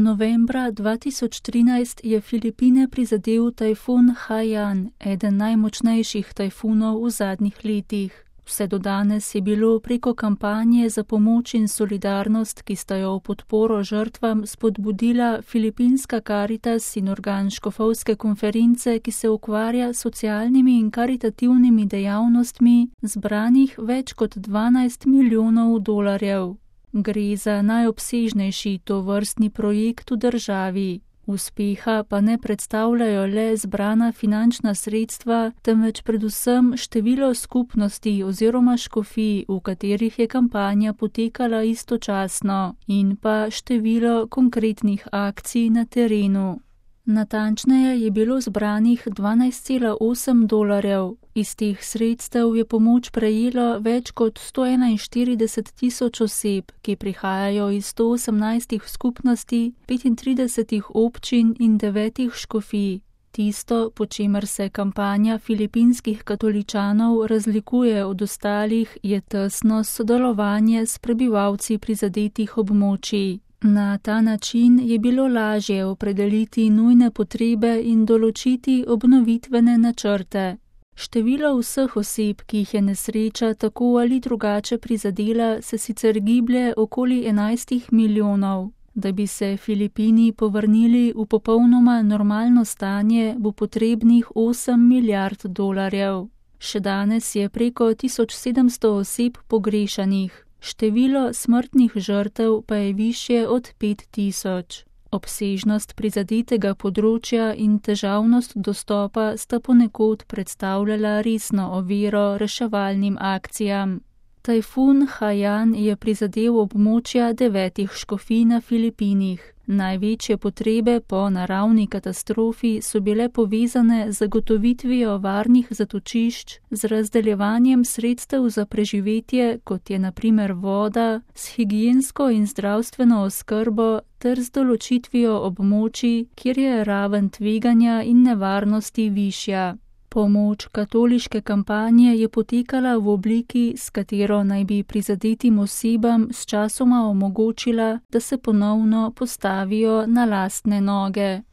Novembra 2013 je Filipine prizadel tajfun Haiyan, eden najmočnejših tajfunov v zadnjih letih. Vse do danes je bilo preko kampanje za pomoč in solidarnost, ki sta jo v podporo žrtvam spodbudila Filipinska Karitas in organ škofovske konference, ki se ukvarja s socialnimi in karitativnimi dejavnostmi, zbranih več kot 12 milijonov dolarjev. Gre za najobsežnejši tovrstni projekt v državi. Uspeha pa ne predstavljajo le zbrana finančna sredstva, temveč predvsem število skupnosti oziroma škofij, v katerih je kampanja potekala istočasno, in pa število konkretnih akcij na terenu. Natančneje je bilo zbranih 12,8 dolarjev. Iz teh sredstev je pomoč prejelo več kot 141 tisoč oseb, ki prihajajo iz 118 skupnosti, 35 občin in 9 škofij. Tisto, po čemer se kampanja filipinskih katoličanov razlikuje od ostalih, je tesno sodelovanje s prebivalci prizadetih območij. Na ta način je bilo lažje opredeliti nujne potrebe in določiti obnovitvene načrte. Število vseh oseb, ki jih je nesreča tako ali drugače prizadela, se sicer giblje okoli 11 milijonov. Da bi se Filipini povrnili v popolnoma normalno stanje, bo potrebnih 8 milijard dolarjev. Še danes je preko 1700 oseb pogrešanih. Število smrtnih žrtev pa je višje od 5000. Obsežnost prizadetega področja in težavnost dostopa sta ponekod predstavljala resno oviro reševalnim akcijam. Tajfun Haiyan je prizadel območja 9 škofij na Filipinih. Največje potrebe po naravni katastrofi so bile povezane z zagotovitvijo varnih zatočišč, z razdeljevanjem sredstev za preživetje, kot je na primer voda, s higiensko in zdravstveno oskrbo ter z določitvijo območij, kjer je raven tveganja in nevarnosti višja. Pomoč katoliške kampanje je potekala v obliki, s katero naj bi prizadetim osebam sčasoma omogočila, da se ponovno postavijo na lastne noge.